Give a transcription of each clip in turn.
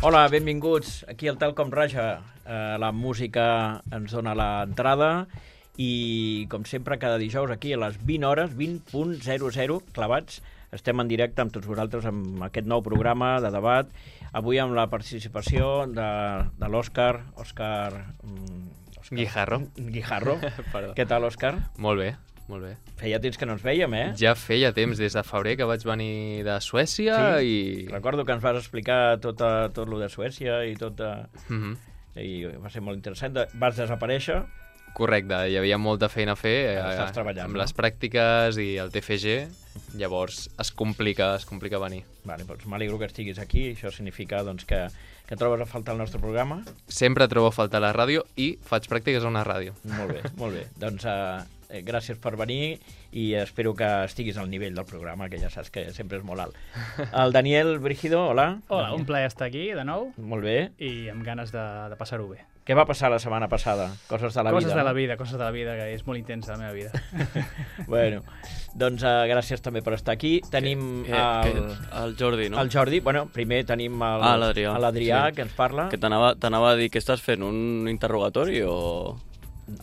Hola, benvinguts. Aquí al Telcom Raja. La música ens dona l'entrada i, com sempre, cada dijous aquí a les 20 hores, 20.00, clavats, estem en directe amb tots vosaltres amb aquest nou programa de debat. Avui amb la participació de l'Òscar. Òscar Guijarro. Què tal, Òscar? Molt bé, molt bé. Feia temps que no ens veiem, eh? Ja feia temps, des de febrer que vaig venir de Suècia i... Recordo que ens vas explicar tot lo de Suècia i tot... I va ser molt interessant. Vas desaparèixer. Correcte, hi havia molta feina a fer estàs treballant, amb les pràctiques i el TFG, llavors es complica venir. Vale, doncs m'alegro que estiguis aquí, això significa doncs, que trobes a faltar el nostre programa. Sempre trobo a faltar la ràdio i faig pràctiques a una ràdio. Molt bé, molt bé. Doncs gràcies per venir i espero que estiguis al nivell del programa, que ja saps que sempre és molt alt. El Daniel Brígido, hola. Hola, un plaer estar aquí de nou. Molt bé. I amb ganes de passar-ho bé. Què va passar la setmana passada? Coses de la vida. Coses de la vida, que és molt intensa la meva vida. Bueno, doncs gràcies també per estar aquí. Tenim el Jordi, no? El Jordi. Bueno, primer tenim l'Adrià, que ens parla. Que t'anava a dir que estàs fent un interrogatori o...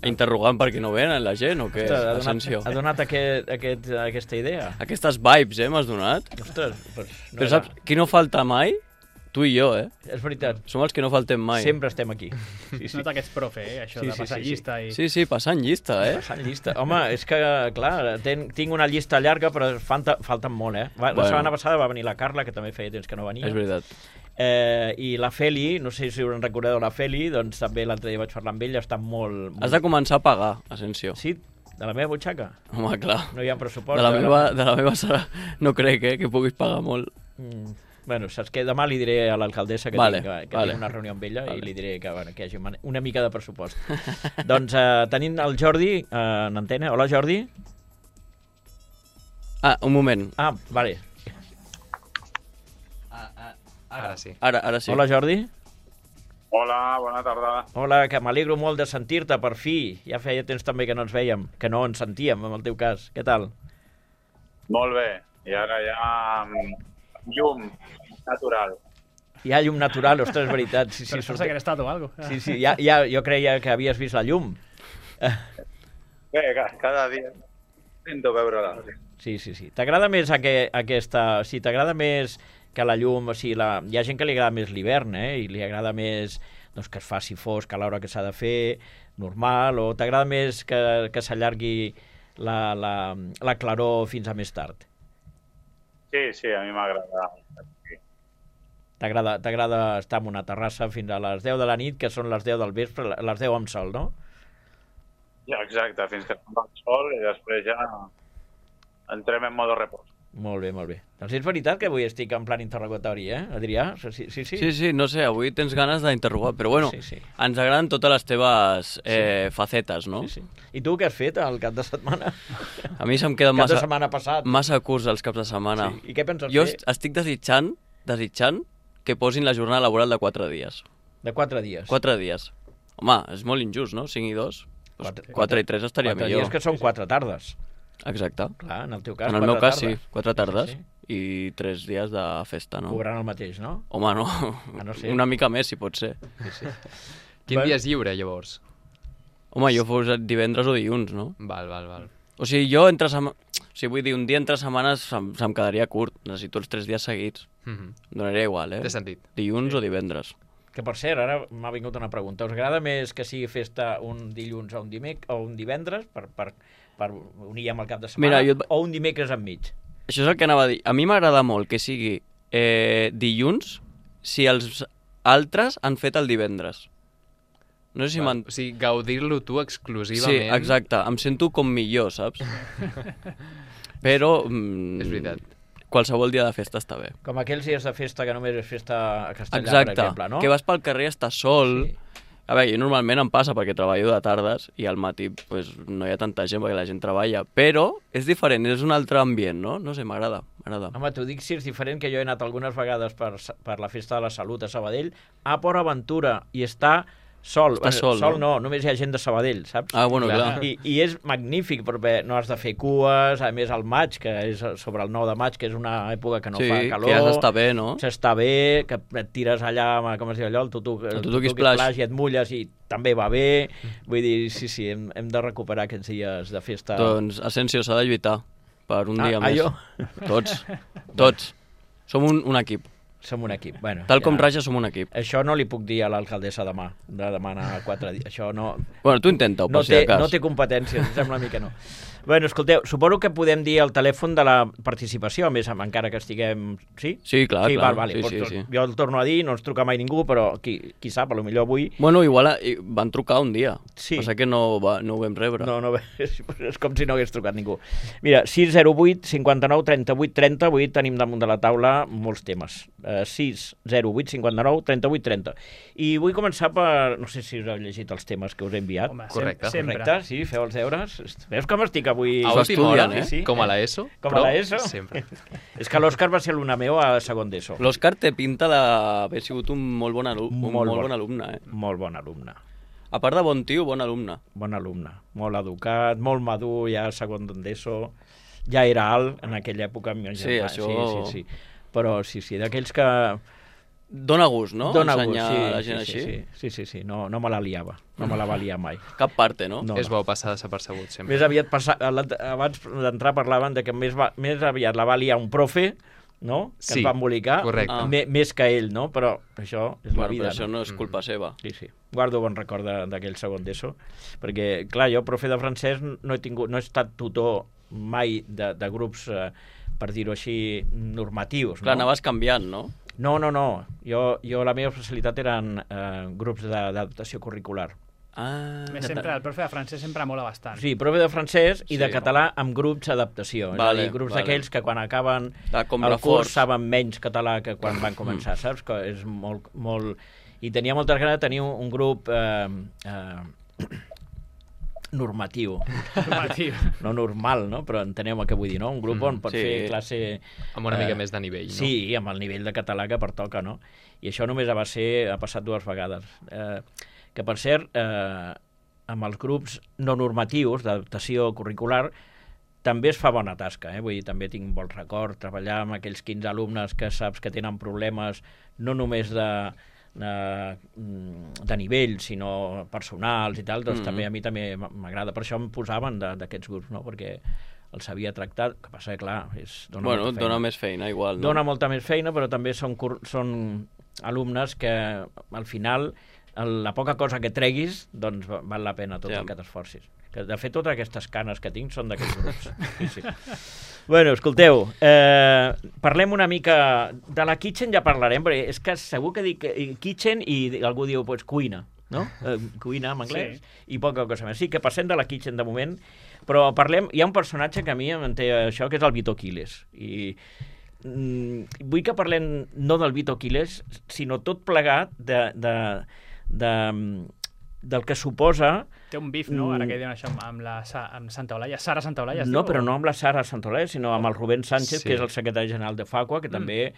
interrogant per qui no venen la gent o què? Ha donat aquesta idea. Aquestes vibes, m'has donat? Ostres, però saps, qui no falta mai? Tu i jo, És veritat. Som els que no faltem mai. Sempre estem aquí. Sí. Nota que ets profe, això de passar llista. Sí, passant llista, Passant llista. Home, és que, clar, tinc una llista llarga, però falten molt, La setmana passada va venir la Carla, que també feia temps que no venia. És veritat. I la Feli, no sé si us en recordeu la Feli, doncs també l'altre dia vaig parlar amb ella, està molt... Has de començar a pagar, Asensio. Sí? De la meva butxaca? Home, clar. No hi ha pressupost. De la meva serà... No crec, que puguis pagar molt. Bueno, saps què? Demà li diré a l'alcaldessa que tinc una reunió amb ella i li diré que hi hagi una mica de pressupost. Doncs tenim el Jordi en antena. Hola, Jordi. Un moment. Vale. Ara sí. Ara sí. Hola, Jordi. Hola, bona tarda. Hola, que m'alegro molt de sentir-te, per fi. Ja feia temps també que no ens vèiem, que no ens sentíem, en el teu cas. Què tal? Molt bé. I ara ja llum natural. Hi ha llum natural, ostres, és veritat. Sí, però estàs segrestat o alguna cosa. Sí, jo creia que havies vist la llum. Bé, cada dia intento veure-la. Sí. T'agrada més aquesta... Sí, t'agrada més que la llum... O sigui, hi ha gent que li agrada més l'hivern, i li agrada més que es faci fosc a l'hora que s'ha de fer, normal, o t'agrada més que s'allargui la claror fins a més tard? Sí, a mi m'agrada. T'agrada estar en una terrassa fins a les 10 de la nit, que són les 10 del vespre, les 10 amb sol, no? Ja, exacte, fins que tomba el sol i després ja entrem en modo repòs. Molt bé. Doncs és veritat que avui estic en plan interrogatori, Adrià? Sí. Sí, no sé, avui tens ganes d'interrogar, però bueno, sí. Ens agraden totes les teves facetes, no? Sí. I tu què has fet el cap de setmana? A mi se'm queda cap de setmana passat. Massa curts els caps de setmana. Sí. I què penses fer? Jo estic desitjant que posin la jornada laboral de 4 dies. De 4 dies? 4 dies. Home, és molt injust, no? 5 i 2. 4 i 3 estaria millor. 4 dies que són 4 tardes. Exacte. Clar, en el teu cas, en el meu cas, sí, 4 tardes i 3 dies de festa, no? Cobrant el mateix, no? Home, no. No sé. Una mica més, si pot ser. Sí. Quin dia és lliure, llavors? Home, jo fos divendres o dilluns, no? Val. O sigui, jo vull dir, un dia entre setmanes se'm quedaria curt. Necessito els 3 dies seguits. Donaria igual, Té sentit. Dilluns o divendres. Que, per cert, ara m'ha vingut una pregunta. Us agrada més que sigui festa un dilluns o un divendres per unir amb el cap de setmana, o un dimecres enmig? Això és el que anava a dir. A mi m'agrada molt que sigui dilluns si els altres han fet el divendres. No sé si o sigui, gaudir-lo tu exclusivament. Sí, exacte. Em sento com millor, saps? Però... És veritat. Qualsevol dia de festa està bé. Com aquells dies de festa que només és festa a Castellà, exacte. Per exemple, no? Que vas pel carrer, estàs sol... Sí. A veure, jo normalment em passa perquè treballo de tardes i al matí pues, no hi ha tanta gent perquè la gent treballa, però és diferent, és un altre ambient, no? No sé, m'agrada. Home, t'ho dic si és diferent, que jo he anat algunes vegades per la Festa de la Salut a Sabadell, a Port Aventura, i està Sol. Està sol, sol no, només hi ha gent de Sabadell, saps? Ah, bueno, clar. I és magnífic, perquè no has de fer cues, a més el maig, que és sobre el 9 de maig, que és una època que no fa calor. Sí, que ja s'està bé, no? S'està bé, que et tires allà, com es diu allò, el tutuki splash i et mulles i també va bé. Vull dir, sí, hem de recuperar aquests dies de festa. Doncs, Asensio, s'ha de lluitar per un dia més. Jo? Tots. Som un equip. Som un equip. Bueno, Tal com Raja, som un equip. Això no li puc dir a l'alcaldessa demà, de demanar 4 dies. Això no... Bueno, tu intenta-ho, per si de cas. No té competències, em sembla a mi que no. Bueno, escolteu, suposo que podem dir el telèfon de la participació, a més, encara que estiguem... Sí? Sí, clar. Vale. Sí. Jo el torno a dir, no ens truca mai ningú, però qui sap, potser avui... Bueno, igual van trucar un dia. Sí. Passa que no ho vam rebre. No, és com si no hagués trucat ningú. Mira, 608 59 38 30, avui tenim damunt de la taula molts temes. 608 59 38 30. I vull començar per... No sé si us heu llegit els temes que us he enviat. Home, Correcte. Correcte, sí, feu els deures. Veus com estic avui? A última hora, sí. Com a l'ESO. Com a l'ESO. Sempre. És que l'Òscar va ser alumne meu a segon d'ESO. L'Òscar té pinta d'haver sigut un molt bon alumne. Molt bon alumne, Molt bon alumne. A part de bon tio, bon alumne. Bon alumne. Molt educat, molt madur, ja a segon d'ESO. Ja era alt en aquella època. Sí, això... Sí. Però sí, d'aquells que... Dóna gust, no? Dóna Ensenyar gust, a la gent així. Sí. No me la liava. No me la va liar mai. Cap parte, no? És bo passar desapercebut, sempre. Més aviat, abans d'entrar parlaven de que més aviat la va liar un profe, no? Que Sí, es va embolicar. correcte. Més que ell, no? Però això és la vida. Però això no és culpa seva. Sí. Guardo bon record d'aquell segon d'ESO, perquè, clar, jo, profe de francès, no he estat tutor mai de grups, per dir-ho així, normatius. Clar, no? anaves canviant, no? No. Jo la meva especialitat eren grups d'adaptació curricular. Ah, Més sempre, el profe de francès sempre mola bastant. Sí, profe de francès i de Sí. català amb grups d'adaptació. És a dir, grups d'aquells que quan acaben com el reforç. curs saben menys català que quan van començar, saps? Que és molt... I tenia moltes ganes de tenir un grup normatiu. No normal, no? Però enteneu el que vull dir, no? Un grup on pots fer classe... Amb una mica més de nivell, no? Sí, amb el nivell de català que pertoca, no? I això només ha passat 2 vegades. Que, per cert, amb els grups no normatius d'adaptació curricular també es fa bona tasca, vull dir, també tinc bon record treballar amb aquells 15 alumnes que saps que tenen problemes no només de nivell, sinó personals i tal, doncs també a mi també m'agrada. Per això em posaven d'aquests grups, no? Perquè els sabia tractar, que passa que, clar, dona més feina, igual, no? Dona molta més feina, però també són alumnes que, al final, la poca cosa que treguis, doncs val la pena tot el que t'esforcis. De fet, totes aquestes canes que tinc són d'aquests grups. Sí. Bueno, escolteu, parlem una mica... De la kitchen ja parlarem, perquè és que segur que dic kitchen i algú diu, pues, cuina, no? Cuina en anglès i poca cosa més. Sí, que passem de la kitchen de moment, però parlem... Hi ha un personatge que a mi em té això, que és el Vito Quiles. I vull que parlem no del Vito Quiles, sinó tot plegat del que suposa... Té un bif, no? Ara que diuen això amb Santa Olalla. Sara Santa Olalla. No, però no amb la Sara Santa Olalla, sinó amb el Rubén Sánchez, que és el secretari general de Facua, que també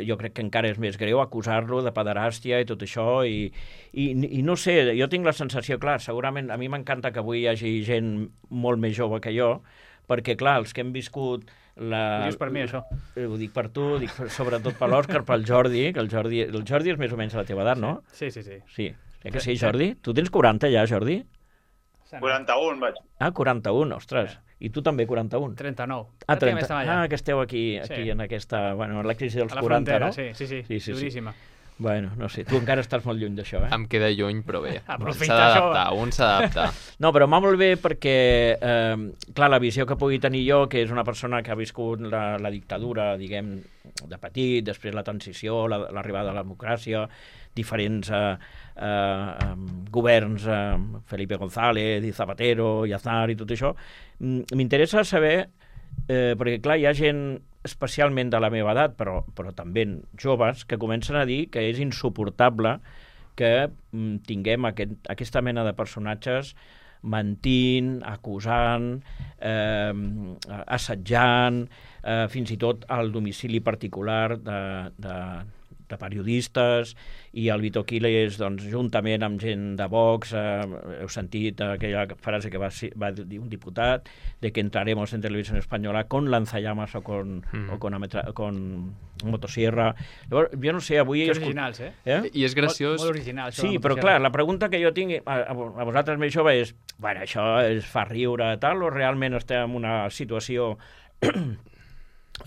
jo crec que encara és més greu acusar-lo de pederàstia i tot això. I no sé, jo tinc la sensació, clar, segurament a mi m'encanta que avui hi hagi gent molt més jove que jo, perquè, clar, els que hem viscut... Ho dius per mi, això? Ho dic per tu, ho dic sobretot per l'Òscar, pel Jordi, que el Jordi és més o menys a la teva edat, no? Sí. Sí, que sí, Jordi? Tu tens 40 ja, Jordi? 41 vaig. 41, ostres. I tu també 41? 39. 30. Que esteu aquí en aquesta... Bueno, en la crisi dels 40, no? Sí, duríssima. Bueno, no sé, tu encara estàs molt lluny d'això, Em queda lluny, però bé. Aprofita un s'ha d'adaptar. No, però m'ha molt bé perquè, clar, la visió que pugui tenir jo, que és una persona que ha viscut la dictadura, diguem, de petit, després la transició, l'arribada de la democràcia, diferents governs, Felipe González i Zapatero i Aznar i tot això, m'interessa saber, perquè clar, hi ha gent especialment de la meva edat, però també joves, que comencen a dir que és insuportable que tinguem aquesta mena de personatges mentint, acusant, assetjant, fins i tot al domicili particular de periodistes, i el Vito Quiles, doncs, juntament amb gent de Vox, heu sentit aquella frase que va dir un diputat, de que entraremos en Televisión Española con lanzallamas o con motosierra. Llavors, jo no sé, avui... Que originals, I és graciós... Molt original, això. Sí, però clar, la pregunta que jo tinc a vosaltres més jove és, bueno, això es fa riure tal, o realment estem en una situació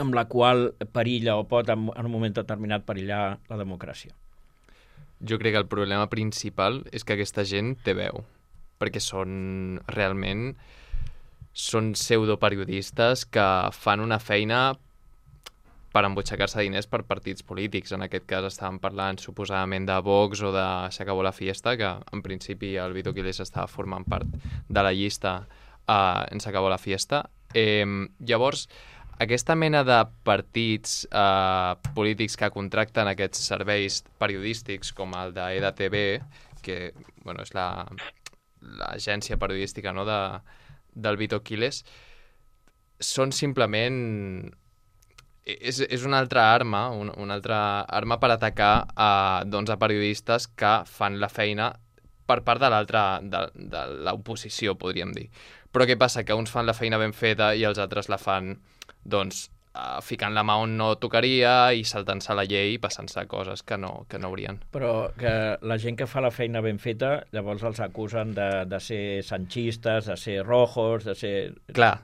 amb la qual perilla o pot en un moment determinat perillar la democràcia? Jo crec que el problema principal és que aquesta gent té veu, perquè realment són pseudoperiodistes que fan una feina per embutxacar-se diners per partits polítics. En aquest cas estàvem parlant suposadament de Vox o de Se acabó la fiesta, que en principi el Vito Quiles estava formant part de la llista en Se acabó la fiesta. Llavors, aquesta mena de partits polítics que contracten aquests serveis periodístics com el de EDATV, que bueno, és l'agència periodística, no, del Vito Quiles, són simplement... És una altra arma, una altra arma per atacar a periodistes que fan la feina per part de l'oposició, podríem dir. Però què passa? Que uns fan la feina ben feta i els altres la fan, doncs, ficant la mà on no tocaria i saltant-se la llei i passant-se coses que no haurien. Però que la gent que fa la feina ben feta, llavors els acusen de ser sanchistes, de ser rojos, de ser... Clar,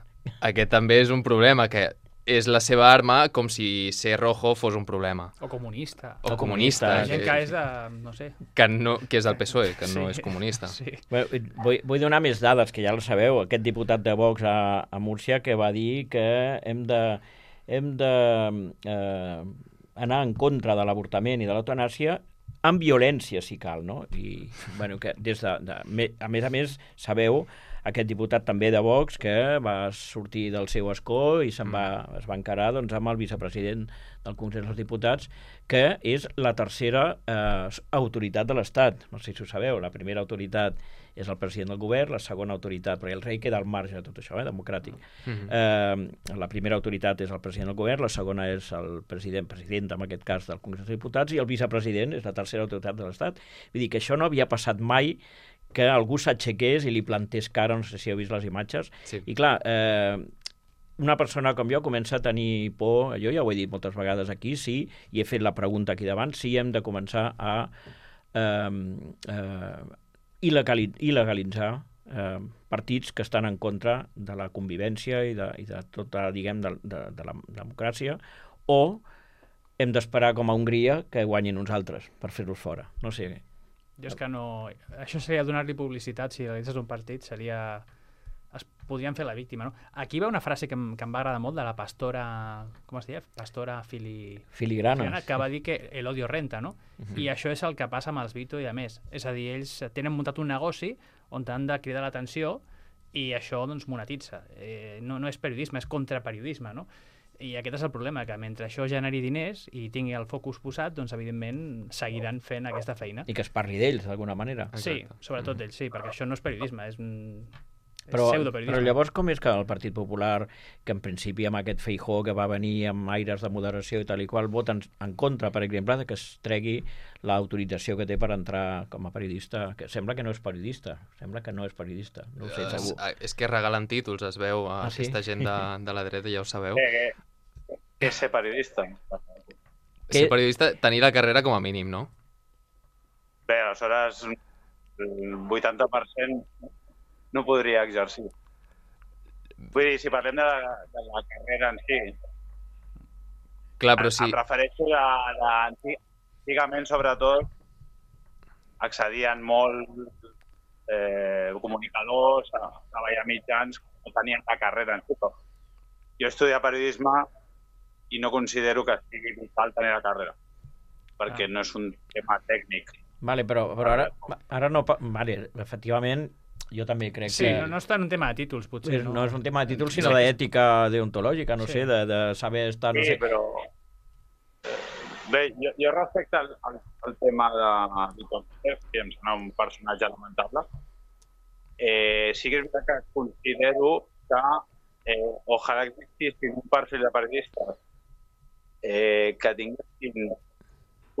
aquest també és un problema, que és la seva arma com si ser rojo fos un problema. O comunista. O comunista. La gent que és de... no sé. Que és del PSOE, que no és comunista. Sí. Bé, vull donar més dades, que ja lo sabeu. Aquest diputat de Vox a Múrcia que va dir que hem de anar en contra de l'avortament i de l'eutanàsia amb violència, si cal, no? I, bueno, que a més, sabeu, aquest diputat també de Vox que va sortir del seu escó i es va encarar doncs, amb el vicepresident del Congrés dels Diputats, que és la tercera autoritat de l'Estat. No sé si ho sabeu, la primera autoritat és el president del govern, la segona autoritat, perquè el rei queda al marge de tot això, democràtic. La primera autoritat és el president del govern, la segona és el president en aquest cas del Congrés dels Diputats, i el vicepresident és la tercera autoritat de l'Estat. Vull dir que això no havia passat mai, que algú s'aixequés i li plantés cara, no sé si heu vist les imatges, sí. I clar, una persona com jo comença a tenir por, jo ja ho he dit moltes vegades aquí, sí, i he fet la pregunta aquí davant, si hem de començar a il·legalitzar partits que estan en contra de la convivència i de tota, diguem, de la democràcia, o hem d'esperar com a Hongria que guanyin uns altres per fer-los fora. No sé. Jo és que no... Això seria donar-li publicitat, si realitzes un partit, seria... Es podrien fer la víctima, no? Aquí hi ha una frase que em va agradar molt de la pastora... Com es deia? Pastora Filigrana, que va dir que el odio renta, no? I això és el que passa amb els Vito i a més. És a dir, ells tenen muntat un negoci on han de cridar l'atenció i això, doncs, monetitza. No és periodisme, és contraperiodisme, no? I aquest és el problema, que mentre això generi diners i tingui el focus posat, doncs evidentment seguiran fent aquesta feina. I que es parli d'ells, d'alguna manera. Sí, sobretot d'ells, sí, perquè això no és periodisme, és Però pseudoperiodisme. llavors com és que el Partit Popular, que en principi amb aquest Feijóo que va venir amb aires de moderació i tal i qual, voten en contra, per exemple, que es tregui l'autorització que té per entrar com a periodista, que sembla que no és periodista, no ho sé, segur. És que regalen títols, es veu, aquesta gent de la dreta, ja ho sabeu. Què és ser periodista? Ser periodista, tenir la carrera com a mínim, no? Bé, aleshores el 80% no podria exercir. Vull dir, si parlem de la carrera en si, clar, però sí. Em refereixo a antigament, sobretot, accedien molt comunicadors a treballar mitjans que no tenien la carrera en si. Jo he estudiat periodisme i no considero que sigui vital tenir la carrera, perquè no és un tema tècnic. Vale, però ara no... Vale, efectivament, jo també crec que... Sí, no està en un tema de títols, potser. No és un tema de títols, sinó d'ètica deontològica, no sé, de saber estar... Sí, però... Bé, jo respecte al tema de Vito Quiles, que em sembla un personatge lamentable, sí que és veritat que considero que ojalà existissin un perfil de periodistes que tinguessin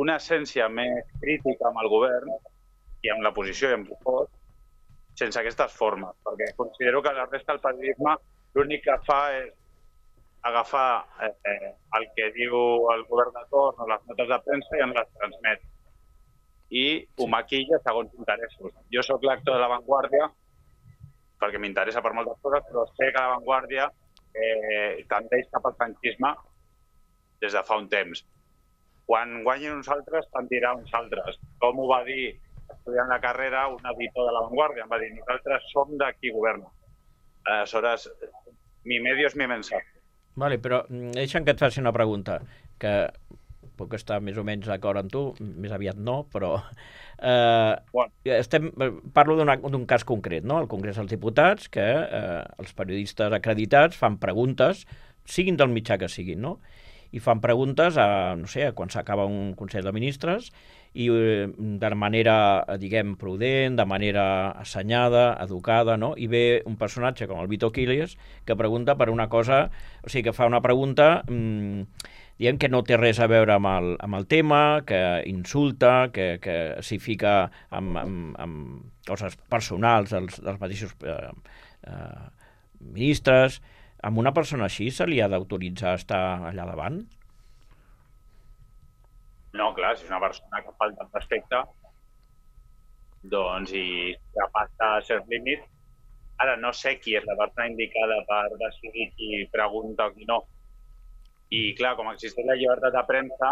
una essència més crítica amb el govern i amb la posició i amb el fos, sense aquestes formes, perquè considero que la resta del periodisme l'únic que fa és agafar el que diu el govern de torn o les notes de premsa i en les transmet. I ho maquilla segons interessos. Jo sóc lector de La Vanguardia perquè m'interessa per moltes coses, però sé que La Vanguardia tendeix cap al franquisme des de fa un temps. Quan guanyin uns altres, tendirà uns altres. Com ho va dir estudiant la carrera un editor de La Vanguardia? Em va dir, nosaltres som de qui governa. Aleshores, mi medio és mi mensaje. Vale, però deixa'm que et faci una pregunta, que puc estar més o menys d'acord amb tu, més aviat no, però parlo d'un cas concret, no? Al Congrés dels Diputats, que els periodistes acreditats fan preguntes, siguin del mitjà que siguin, no? I fan preguntes no sé, quan s'acaba un Consell de Ministres i de manera, diguem, prudent, de manera assenyada, educada, no? I ve un personatge com el Vito Quiles que pregunta per una cosa, o sigui, que fa una pregunta diguem que no té res a veure amb el tema, que insulta, que s'hi fica amb coses personals dels mateixos ministres. Amb una persona així se li ha d'autoritzar a estar allà davant? No, clar, si és una persona que falta el respecte, doncs i ja passa certs límits. Ara no sé qui és la persona indicada per decidir qui pregunta o qui no. I clar, com existeix la llibertat de premsa,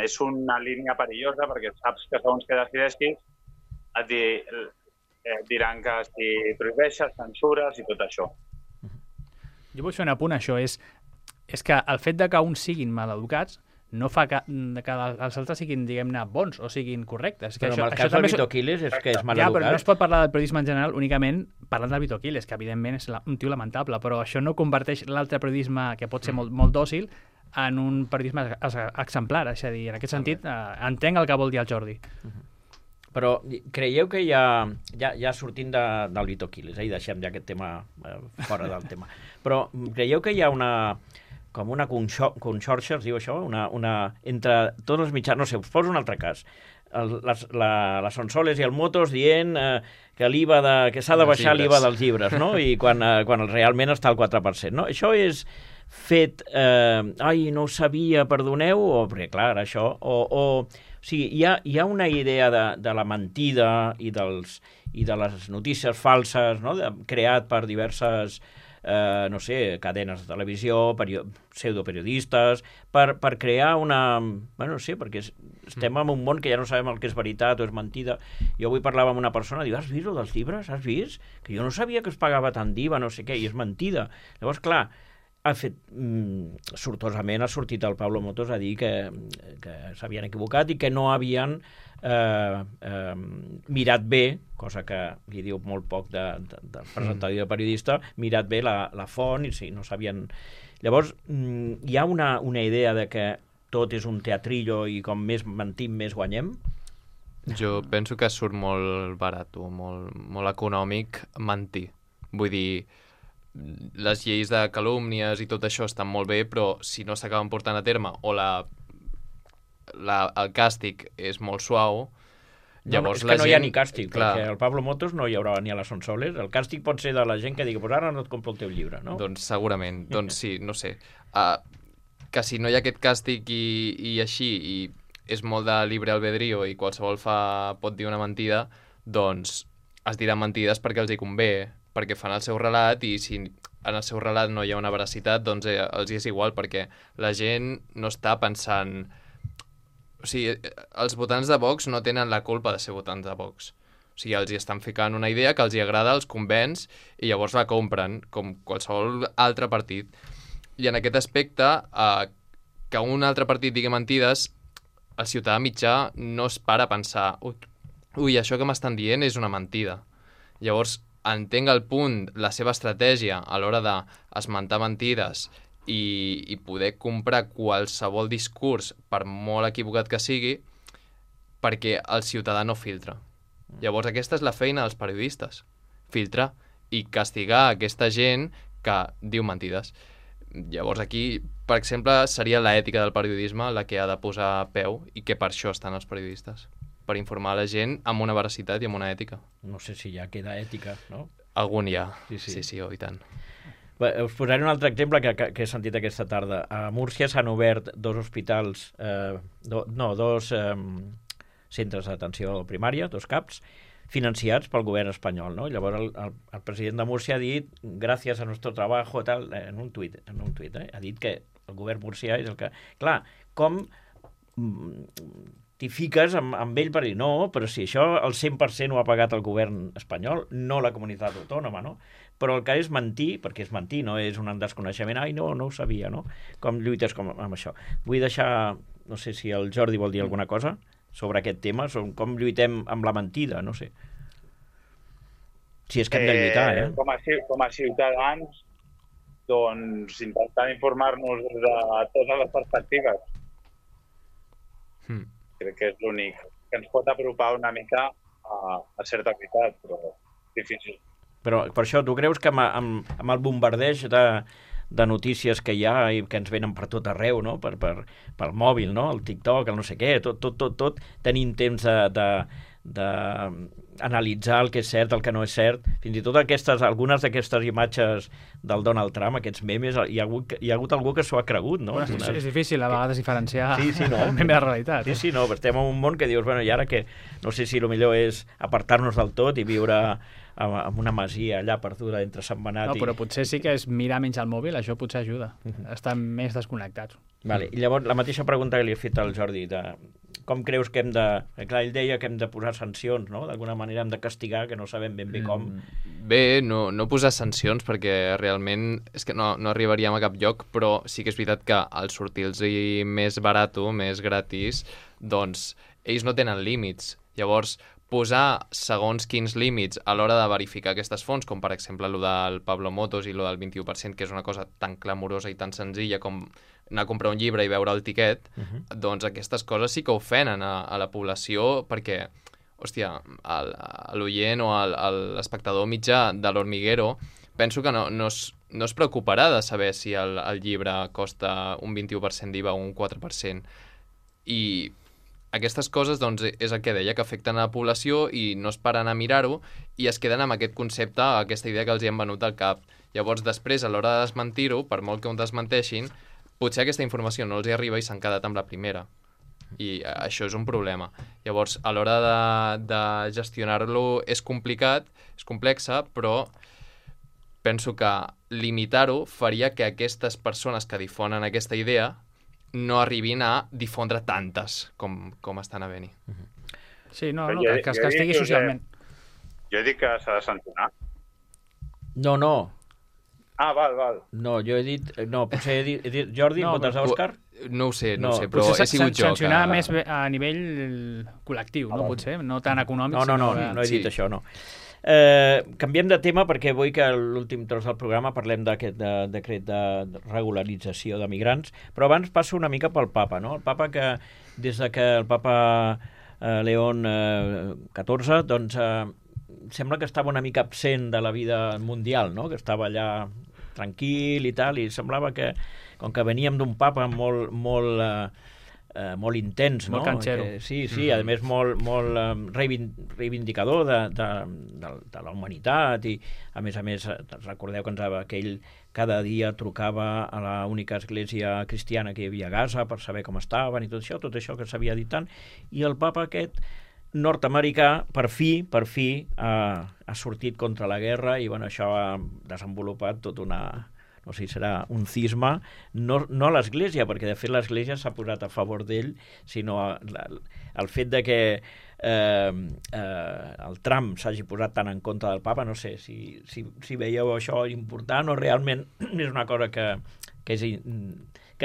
és una línia perillosa perquè saps que segons que decideixis et diran que si prohibeixes, censures i tot això. Jo vull fer un apunt a això, és que el fet de que uns siguin maleducats no fa que els altres siguin, diguem-ne, bons o siguin correctes. Però en el cas del Vito Quiles és que és maleducat. Ja, però no es pot parlar del periodisme en general únicament parlant del Vito Quiles, que evidentment és un tio lamentable, però això no converteix l'altre periodisme, que pot ser molt dòcil, en un periodisme exemplar. És a dir, en aquest sentit, entenc el que vol dir el Jordi. Però creieu que ja sortint del Vito Quiles, i deixem ja aquest tema fora del tema, però creieu que hi ha una conxorxa, es diu això? Entre tots els mitjans, no sé, us poso un altre cas. Les Sonsoles i el Motos dient que que s'ha de baixar l'IVA dels llibres, no? I quan realment està al 4%, no? Això és fet, no ho sabia, perdoneu, o perquè clar, això, o sigui, hi ha una idea de la mentida i de les notícies falses, no? Creat per diverses no sé, cadenes de televisió, pseudoperiodistes, per crear una... Bueno, no sé, perquè estem en un món que ja no sabem el que és veritat o és mentida. Jo avui parlava amb una persona, diu, has vist el dels llibres? Has vist? Que jo no sabia que es pagava tant d'IVA, no sé què, i és mentida. Llavors, clar, sortosament ha sortit el Pablo Motos a dir que s'havien equivocat i que no havien mirat bé, cosa que li diu molt poc del presentador i del periodista, mirat bé la font i sí, no sabien... Llavors, hi ha una idea de que tot és un teatrillo i com més mentim, més guanyem? Jo penso que surt molt barat, molt econòmic mentir. Vull dir, les lleis de calúmnies i tot això estan molt bé, però si no s'acaben portant a terme o el càstig és molt suau, llavors és que no hi ha ni càstig, perquè el Pablo Motos no hi haurà ni a les Sonsoles. El càstig pot ser de la gent que digui, pues ara no et compro el teu llibre, no? Doncs segurament, doncs sí, no sé. Que si no hi ha aquest càstig i així, i és molt de libre albedrío i qualsevol pot dir una mentida, doncs es diran mentides perquè els hi convé, perquè fan el seu relat, i si en el seu relat no hi ha una veracitat, doncs els és igual, perquè la gent no està pensant... O sigui, els votants de Vox no tenen la culpa de ser votants de Vox. O sigui, els hi estan ficant una idea que els hi agrada, els convenç, i llavors la compren, com qualsevol altre partit. I en aquest aspecte, que un altre partit digui mentides, el ciutadà mitjà no es para a pensar ui, això que m'estan dient és una mentida. Llavors, entenc el punt, la seva estratègia a l'hora d'esmentar mentides i poder comprar qualsevol discurs, per molt equivocat que sigui, perquè el ciutadà no filtra. Llavors aquesta és la feina dels periodistes, filtrar i castigar aquesta gent que diu mentides. Llavors aquí, per exemple, seria l'ètica del periodisme la que ha de posar a peu i que per això estan els periodistes, per informar la gent amb una veracitat i amb una ètica. No sé si ja queda ètica, no? Algun hi ha, Sí. sí, i tant. Bé, us posaré un altre exemple que he sentit aquesta tarda. A Múrcia s'han obert dos hospitals, dos centres d'atenció primària, dos CAPs, financiats pel govern espanyol, no? Llavors el president de Múrcia ha dit gràcies a nuestro trabajo tal, en un tuit, ha dit que el govern murcià és el que... Clar, com t'hi fiques amb ell per dir no, però si això el 100% ho ha pagat el govern espanyol, no la comunitat autònoma, no? Però el que és mentir, perquè és mentir, no és un desconeixement, ai, no ho sabia, no? Com lluites amb això. Vull deixar, no sé si el Jordi vol dir alguna cosa sobre aquest tema, sobre com lluitem amb la mentida, no sé. Si és que hem de lluitar, Com a ciutadans, doncs intentant informar-nos de totes les perspectives. Crec que és l'únic que ens pot apropar una mica a certa veritat, però difícil. Però per això, tu creus que amb el bombardeig de notícies que hi ha i que ens venen per tot arreu, no? Pel mòbil, no? El TikTok, el no sé què, tot tenim temps d'analitzar el que és cert, el que no és cert. Fins i tot algunes d'aquestes imatges del Donald Trump, aquests memes, hi ha hagut algú que s'ho ha cregut, no? Bueno, és difícil a vegades diferenciar no? el meme de la realitat. Sí, no, estem en un món que dius, bueno, i ara que no sé si el millor és apartar-nos del tot i viure amb una masia allà perduda entre Sentmenat No, però potser sí que és mirar menys el mòbil, això potser ajuda. Estar més desconnectats. Vale. I llavors la mateixa pregunta que li he fet al Jordi, de com creus que hem de... Clar, ell deia que hem de posar sancions, no? D'alguna manera hem de castigar, que no sabem ben bé com. Bé, no posar sancions perquè realment és que no arribaríem a cap lloc, però sí que és veritat que al sortir-los més barat, més gratis, doncs ells no tenen límits. Llavors, posar segons quins límits a l'hora de verificar aquestes fonts, com per exemple el del Pablo Motos i el del 21%, que és una cosa tan clamorosa i tan senzilla com anar a comprar un llibre i veure el tiquet, doncs aquestes coses sí que ofenen a la població perquè, hòstia, l'oient o l'espectador mitjà de l'Hormiguero penso que no es preocuparà de saber si el llibre costa un 21% d'IVA o un 4%. I aquestes coses, doncs, és el que deia, que afecten a la població i no es paren a mirar-ho i es queden amb aquest concepte, aquesta idea que els hi han venut al cap. Llavors, després, a l'hora de desmentir-ho, per molt que ho desmenteixin, potser aquesta informació no els hi arriba i s'han quedat amb la primera. I això és un problema. Llavors, a l'hora de gestionar-lo és complicat, és complexa, però penso que limitar-ho faria que aquestes persones que difonen aquesta idea no arribin a difondre tantes com estan havent-hi. Sí, que es castigui socialment. Jo he dit que s'ha de sancionar. No. Ah, val. No, jo he dit... No, potser he dit Jordi, votes a Òscar? No ho sé, però he sigut jo. Sancionar més a nivell col·lectiu, no? Potser, no tan econòmic. No he dit això, no. Canviem de tema perquè vull que a l'últim tros del programa parlem d'aquest decret de regularització de migrants, però abans passo una mica pel papa, no? El papa que, des de que el papa León XIV, doncs sembla que estava una mica absent de la vida mundial, no? Que estava allà tranquil i tal, i semblava que, com que veníem d'un papa molt intens, no? Molt canxero. Sí, a més molt reivindicador de la humanitat i a més recordeu que ell cada dia trucava a la única església cristiana que hi havia a Gaza per saber com estaven i tot això que s'havia dit tant, i el papa aquest nord-americà per fi ha sortit contra la guerra i bueno, això ha desenvolupat tot no sé si serà un cisma, no a l'Església, perquè de fet l'Església s'ha posat a favor d'ell, sinó el fet de que el Trump s'hagi posat tan en contra del papa, no sé si veieu això important o realment és una cosa que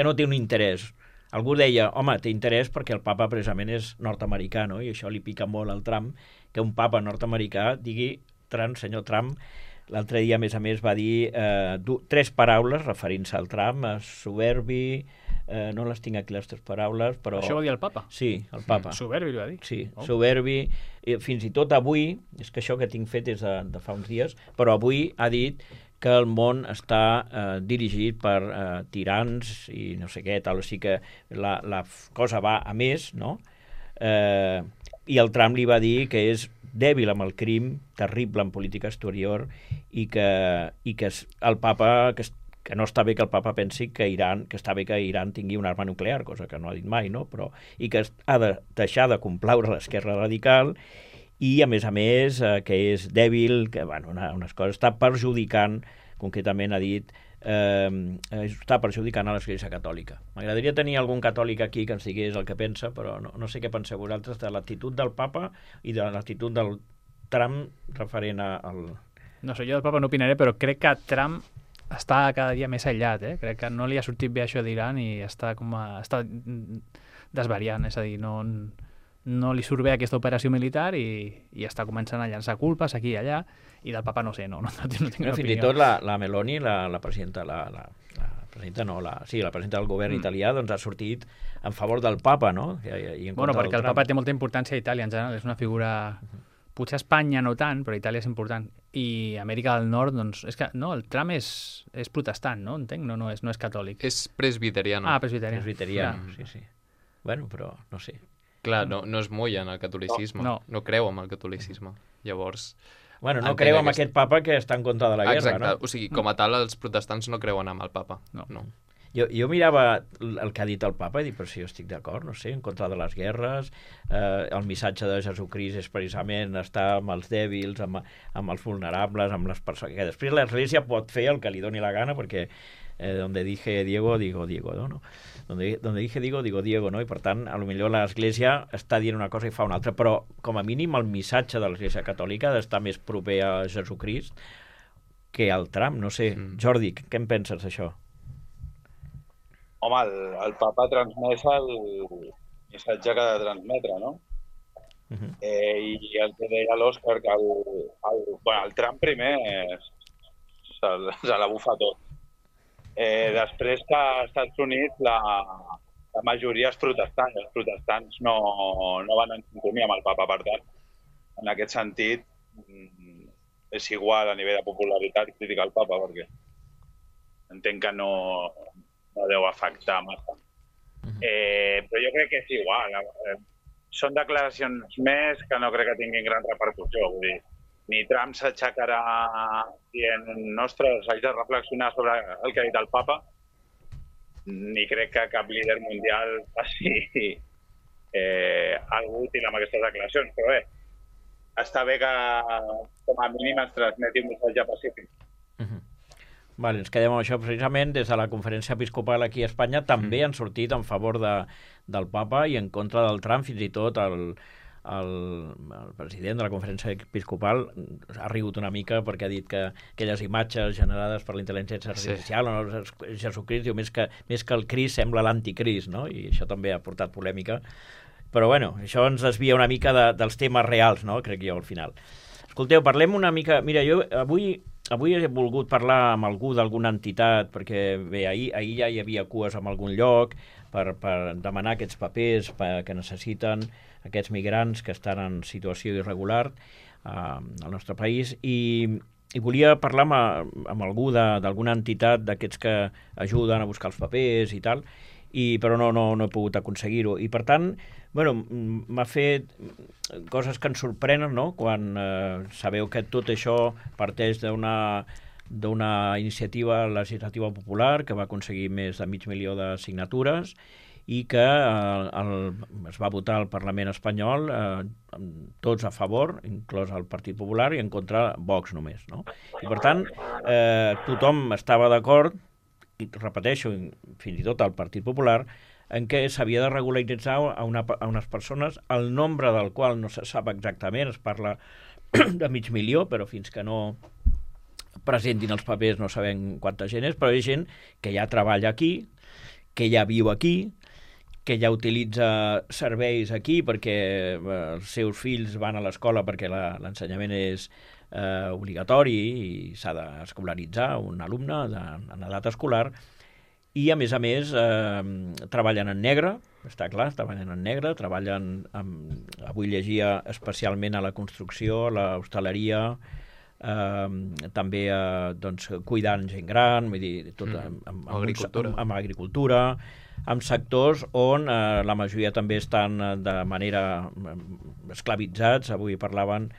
no té un interès. Algú deia, home, té interès perquè el papa precisament és nord-americà, no? I això li pica molt al Trump, que un papa nord-americà digui, senyor Trump. L'altre dia, a més, va dir 3 paraules referint-se al Trump, soberbi, no les tinc aquí les 3 paraules, però... Això ho va dir el papa? Sí, el papa. Soberbi, li va dir? Sí, soberbi. Fins i tot avui, és que això que tinc fet és de fa uns dies, però avui ha dit que el món està dirigit per tirans i no sé què, tal, o sigui que la cosa va a més, no? I el Trump li va dir que és dèbil amb el crim, terrible en política exterior i que el papa, que no està bé que el papa pensi que està bé que Iran tingui una arma nuclear, cosa que no ha dit mai, no? Però, i que ha de deixar de complaure l'esquerra radical i, a més, que és dèbil, que, bueno, unes coses, està perjudicant, concretament ha dit, està perjudicant a l'Església Catòlica. M'agradaria tenir algun catòlic aquí que ens digués el que pensa, però no sé què penseu vosaltres de l'actitud del papa i de l'actitud del Trump referent al... No sé, jo del papa no opinaré, però crec que Trump està cada dia més aïllat, Crec que no li ha sortit bé això d'Iran i està desvariant, és a dir, no li surt bé aquesta operació militar i està començant a llançar culpes aquí i allà, i del papa no sé, no tinc una opinió. Fins i tot la Meloni, la presidenta, la presidenta del govern italià, doncs ha sortit en favor del papa, no? Bueno, perquè el papa té molta importància a Itàlia en general, és una figura... Potser a Espanya no tant, però Itàlia és important. I Amèrica del Nord, doncs... És que, no, el Trump és protestant, no? Entenc? No és catòlic. És presbiteriano. Ah, presbiteriano. Presbiteriano, sí. Bueno, però no sé. Clar, no es molla en el catolicisme. No creu en el catolicisme. Llavors... Bueno, no creu en aquest papa que està en contra de la guerra, exacte. No? O sigui, com a tal, els protestants no creuen en el papa. No. Jo mirava el que ha dit el papa i dic, però si jo estic d'acord, no sé, en contra de les guerres, el missatge de Jesucrist és precisament estar amb els dèbils, amb els vulnerables, amb les persones... Que després l'Església pot fer el que li doni la gana, perquè donde dije Diego, digo Diego, no? Donde dije Diego, digo Diego, no? I per tant, a lo millor l'Església està dient una cosa i fa una altra, però com a mínim el missatge de l'Església Catòlica ha d'estar més proper a Jesucrist que al Trump, no sé. Jordi, què en penses d'això? Home, el papa transmet el missatge que ha de transmetre, no? I el que deia l'Òscar, que el Trump primer se la bufa tot. Després que als Estats Units la majoria és protestant, i els protestants no van en sintonia amb el papa, per tant, en aquest sentit és igual a nivell de popularitat criticar el papa, perquè entenc que no deu afectar massa. Però jo crec que és igual. Són declaracions més que no crec que tinguin gran repercussió. Vull dir, ni Trump s'aixecarà dient, ostres, haig de reflexionar sobre el que ha dit el papa, ni crec que cap líder mundial faci alguna útil amb aquestes declaracions. Però bé, està bé que com a mínim es transmeti un missatge pacífic. Vale, ens quedem amb això. Precisament des de la conferència episcopal aquí a Espanya també han sortit en favor del papa i en contra del Trump. Fins i tot el president de la conferència episcopal ha rigut una mica perquè ha dit que aquelles imatges generades per la intel·ligència artificial, Jesucrist, diu, més que el Crist sembla l'anticrist, no? I això també ha portat polèmica. Però bueno, això ens desvia una mica dels temes reals, no? Crec jo, al final. Escolteu, parlem una mica... Mira, jo avui he volgut parlar amb algú d'alguna entitat, perquè bé, ahir ja hi havia cues en algun lloc per demanar aquests papers que necessiten aquests migrants que estan en situació irregular al nostre país, i volia parlar amb algú d'alguna entitat d'aquests que ajuden a buscar els papers i tal, però no he pogut aconseguir-ho. I per tant, bueno, m'ha fet coses que ens sorprenen, no? Quan sabeu que tot això parteix d'una iniciativa legislativa popular que va aconseguir més de 500.000 de signatures i que es va votar al Parlament espanyol tots a favor, inclòs el Partit Popular, i en contra Vox només, no? I per tant, tothom estava d'acord, i repeteixo, fins i tot el Partit Popular, en què s'havia de regularitzar a unes persones, el nombre del qual no se sap exactament, es parla de 500.000, però fins que no presentin els papers no sabem quanta gent és, però hi ha gent que ja treballa aquí, que ja viu aquí, que ja utilitza serveis aquí perquè els seus fills van a l'escola perquè l'ensenyament és obligatori i s'ha d'escolaritzar un alumne en edat escolar, i a més treballen en negre, està clar, treballen en negre, avui llegia especialment a la construcció, a l'hostaleria, també doncs, cuidant gent gran, vull dir, tot amb agricultura, amb sectors on la majoria també estan de manera esclavitzats. Avui parlaven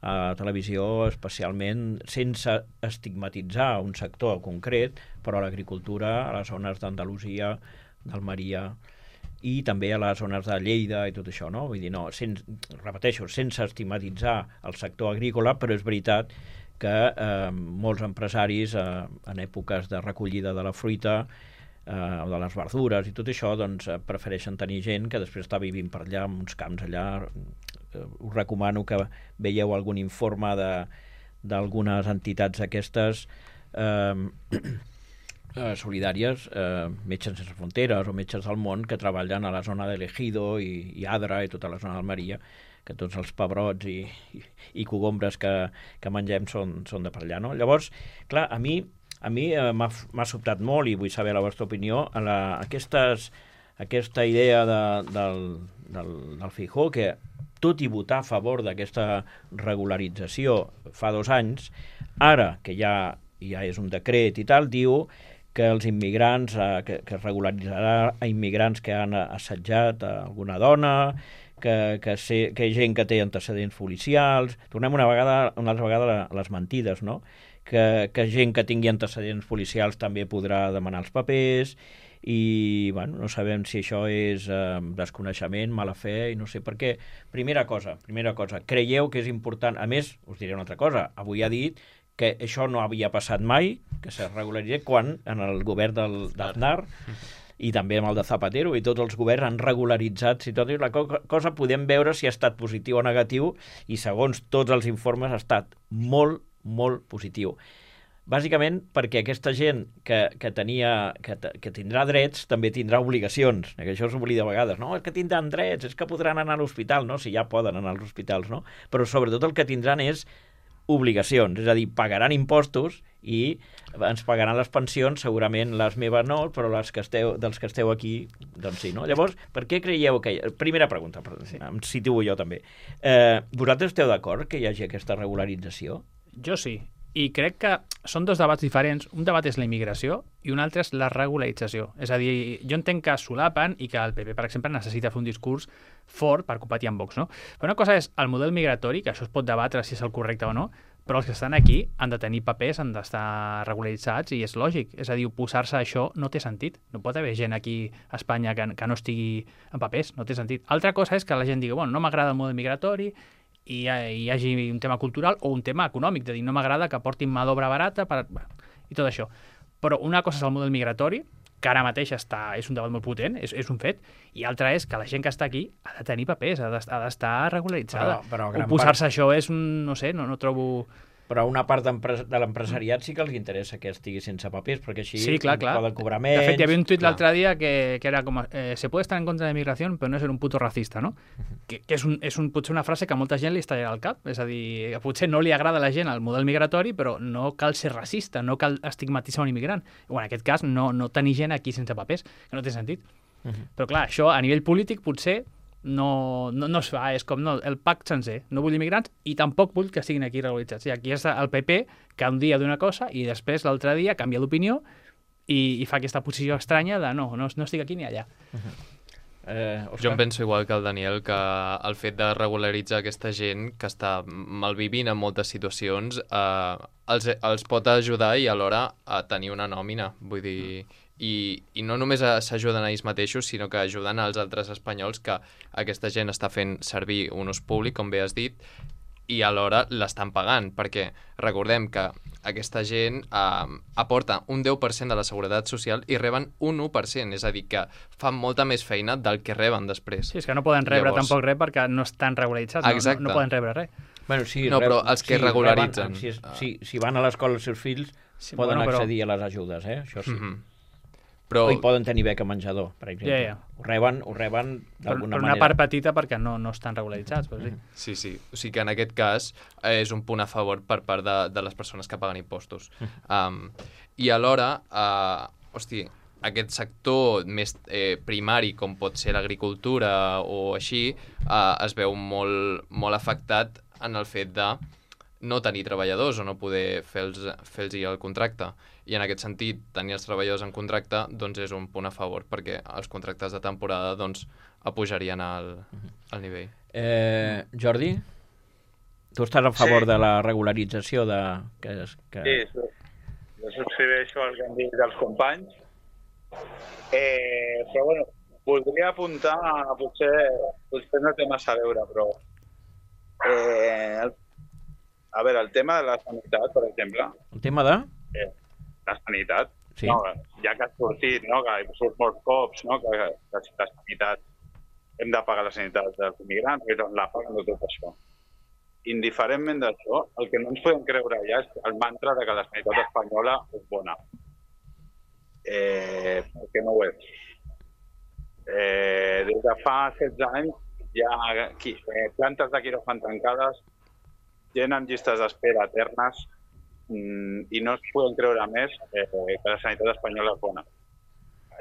a televisió especialment, sense estigmatitzar un sector concret, però a l'agricultura, a les zones d'Andalusia, d'Almeria i també a les zones de Lleida i tot això, no? Vull dir, no, repeteixo, sense estigmatitzar el sector agrícola, però és veritat que molts empresaris en èpoques de recollida de la fruita o de les verdures i tot això, doncs prefereixen tenir gent que després està vivint per allà, en uns camps allà. Us recomano que veieu algun informe d'algunes entitats aquestes solidàries, Metges Sense Fronteres o Metges del Món, que treballen a la zona de l'Ejido i Adra i tota la zona d'Almeria, que tots els pebrots i cogombres que mengem són de per allà, no? Llavors, clar, a mi m'ha sobtat molt, i vull saber la vostra opinió, aquesta idea del Feijóo, que tot i votar a favor d'aquesta regularització fa 2 anys, ara que ja és un decret i tal, diu que els immigrants, que es regularitzarà a immigrants que han assetjat a alguna dona, que hi ha gent que té antecedents policials. Tornem una altra vegada a les mentides, no? Que gent que tingui antecedents policials també podrà demanar els papers, i bueno, no sabem si això és desconeixement, mala fe, i no sé per què. Primera cosa, creieu que és important? A més, us diré una altra cosa, avui ha dit que això no havia passat mai, que se regularitzés, quan en el govern d'Aznar i també amb el de Zapatero, i tots els governs han regularitzat, si tot és la cosa, podem veure si ha estat positiu o negatiu, i segons tots els informes ha estat molt, molt positiu. Bàsicament perquè aquesta gent que tindrà drets també tindrà obligacions, que això s'oblida a vegades, no? És que tindran drets, és que podran anar a l'hospital, no? Si ja poden anar als hospitals, no? Però sobretot el que tindran és obligacions, és a dir, pagaran impostos i ens pagaran les pensions, segurament les meves no, però dels que esteu aquí, doncs sí, no? Llavors, per què creieu que... Primera pregunta, em situo jo també. Vosaltres esteu d'acord que hi hagi aquesta regularització? Jo sí. I crec que són 2 debats diferents. Un debat és la immigració i un altre és la regularització. És a dir, jo entenc que solapen i que el PP, per exemple, necessita fer un discurs fort per competir amb Vox, no? Però una cosa és el model migratori, que això es pot debatre si és el correcte o no, però els que estan aquí han de tenir papers, han d'estar regularitzats, i és lògic. És a dir, oposar-se a això no té sentit. No pot haver gent aquí a Espanya que no estigui en papers, no té sentit. Altra cosa és que la gent digui, bueno, no m'agrada el model migratori, i hi hagi un tema cultural o un tema econòmic, de dir, no m'agrada que portin mà d'obra barata i tot això. Però una cosa és el model migratori, que ara mateix és un debat molt potent, és un fet, i altra és que la gent que està aquí ha de tenir papers, ha d'estar regularitzada. Però oposar-se a això és no sé, no trobo... Però una part de l'empresariat sí que els interessa que estigui sense papers, perquè així sí, clar. Poden cobrar menys... De fet, hi havia un tuit l'altre dia que era com se puede estar en contra de la migración, però no ser un puto racista, no? Que és potser una frase que a molta gent li estallarà al cap. És a dir, potser no li agrada a la gent el model migratori, però no cal ser racista, no cal estigmatitzar un immigrant. O en aquest cas, no tenir gent aquí sense papers, que no té sentit. Però clar, això a nivell polític potser no es fa, és com el pacte sencer. No vull immigrants i tampoc vull que siguin aquí regularitzats. I aquí és el PP que un dia diu una cosa i després l'altre dia canvia d'opinió i fa aquesta posició estranya de no estic aquí ni allà. Jo em penso igual que el Daniel, que el fet de regularitzar aquesta gent que està malvivint en moltes situacions els pot ajudar i alhora a tenir una nòmina, vull dir... I no només s'ajuden a ells mateixos, sinó que ajuden als altres espanyols que aquesta gent està fent servir un ús públic, com bé has dit, i alhora l'estan pagant, perquè recordem que aquesta gent aporta un 10% de la seguretat social i reben un 1%, és a dir, que fan molta més feina del que reben després. Sí, és que no poden rebre tampoc res perquè no estan regularitzats, no poden rebre res. Bueno, sí, però els que regularitzen... Si van a l'escola els seus fills, poden accedir a les ajudes, això sí. Però... O hi poden tenir beca menjador, per exemple. Ja. Ho reben d'alguna manera. Però una part petita perquè no estan regularitzats. Però sí. Sí. O sigui que en aquest cas és un punt a favor per part de les persones que paguen impostos. I alhora, aquest sector més primari, com pot ser l'agricultura o així, es veu molt, molt afectat en el fet de no tenir treballadors o no poder fer-los el contracte. I en aquest sentit, tenir els treballadors en contracte doncs és un punt a favor, perquè els contractes de temporada doncs apujarien el nivell. Jordi, tu estàs a favor de la regularització de... Sí, jo subscriveixo el que han dit els companys. Però bueno, voldria apuntar, potser no té massa a veure, però a veure, el tema de la sanitat, per exemple. El tema de? La sanitat. Sí. No, ja que ha sortit, no, que surt molts cops, no, que la sanitat, hem de pagar la sanitat dels immigrants, i doncs la paguen de tot això. Indiferentment d'això, el que no ens podem creure ja és el mantra de que la sanitat espanyola és bona. Perquè no ho és. Des de fa 16 anys hi ha plantes de quiròfan tancades, gent amb llistes d'espera eternes, i no es poden creure més que la sanitat espanyola és bona.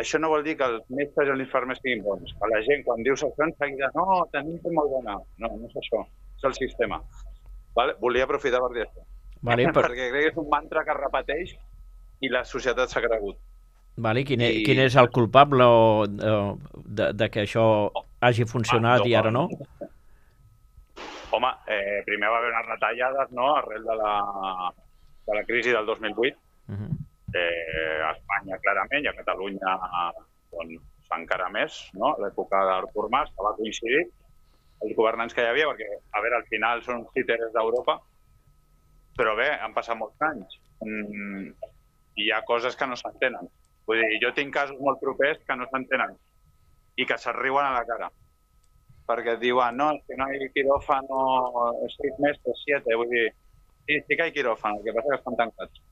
Això no vol dir que els metges i els infermers siguin bons. A la gent, quan dius això, enseguida, no, tenim que molt bona. No, no és això, és el sistema. Vale? Volia aprofitar per dir això. Vale, perquè crec que és un mantra que es repeteix i la societat s'ha cregut. Vale, quin és el culpable de que això hagi funcionat i ara no? Home, primer va haver unes retallades, no?, arrel de la crisi del 2008. A Espanya, clarament, i a Catalunya doncs, encara més, no?, l'època d'Artur Mas, que va coincidir, els governants que hi havia, perquè, a veure, al final són uns títeres d'Europa, però bé, han passat molts anys. I hi ha coses que no s'entenen. Vull dir, jo tinc casos molt propers que no s'entenen i que se't riuen a la cara. Perquè et diuen, no, és que no hi ha quiròfano 6 mesos, 7, vull dir, sí que hi ha quiròfano, el que passa que estan tancats.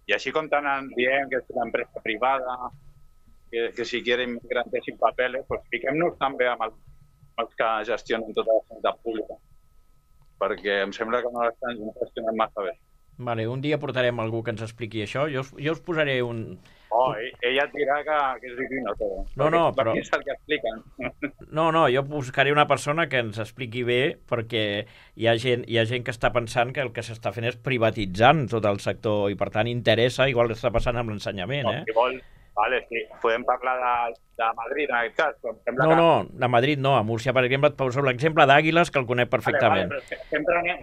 I així com tant diem que és una empresa privada, que si quieren inmigrantes sin papeles, pues fiquem-nos també amb els que gestionen tota la sanitat pública, perquè em sembla que no l'estan gestionant massa bé. Vale, un dia portarem algú que ens expliqui això. Jo us posaré un... Ella et dirà que és divino tot. No, però... És el que expliquen. No, jo buscaré una persona que ens expliqui bé, perquè hi ha gent que està pensant que el que s'està fent és privatitzant tot el sector i, per tant, interessa, igual que està passant amb l'ensenyament, Si vols, vale, sí. Podem parlar de Madrid, en aquest cas. No, de Madrid no. A Múrcia, per exemple, et poso l'exemple d'Àguiles, que el conec perfectament. Vale,